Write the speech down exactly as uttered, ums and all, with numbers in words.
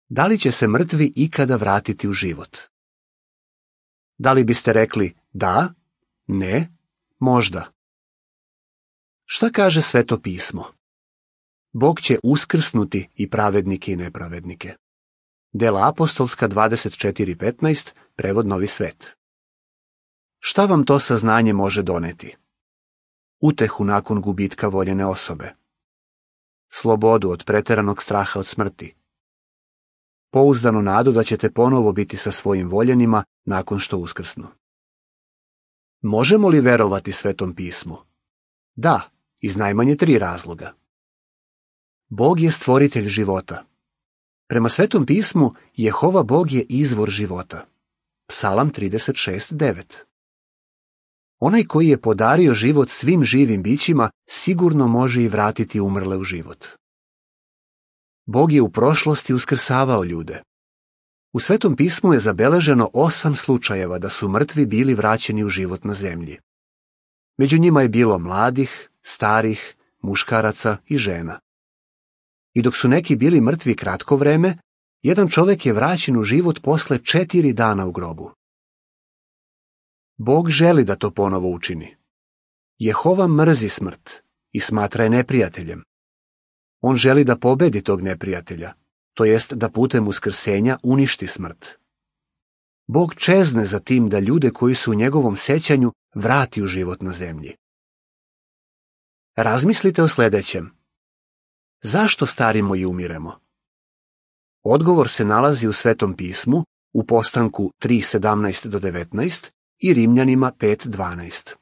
Da li će se mrtvi ikada vratiti u život? Da li biste rekli da, ne, možda? Šta kaže Sveto pismo? Bog će uskrsnuti i pravednike i nepravednike. Dela apostolska dvadeset četiri petnaest, prevod Novi svet. Šta vam to saznanje može doneti? Utehu nakon gubitka voljene osobe. Slobodu od preteranog straha od smrti. Pouzdanu nadu da ćete ponovo biti sa svojim voljenima nakon što uskrsnu. Možemo li verovati Svetom pismu? Da, iz najmanje tri razloga. Bog je stvoritelj života. Prema Svetom pismu, Jehova Bog je izvor života. Psalam trideset šest devet. Onaj koji je podario život svim živim bićima, sigurno može i vratiti umrle u život. Bog je u prošlosti uskrsavao ljude. U Svetom pismu je zabeleženo osam slučajeva da su mrtvi bili vraćeni u život na zemlji. Među njima je bilo mladih, starih, muškaraca i žena. I dok su neki bili mrtvi kratko vreme, jedan čovjek je vraćen u život posle četiri dana u grobu. Bog želi da to ponovo učini. Jehova mrzi smrt i smatra je neprijateljem. On želi da pobedi tog neprijatelja, to jest da putem uskrsenja uništi smrt. Bog čezne za tim da ljude koji su u njegovom sećanju vrati u život na zemlji. Razmislite o sljedećem. Zašto starimo i umiremo? Odgovor se nalazi u Svetom pismu, u Postanku tri sedamnaest do devetnaest i Rimljanima pet dvanaest.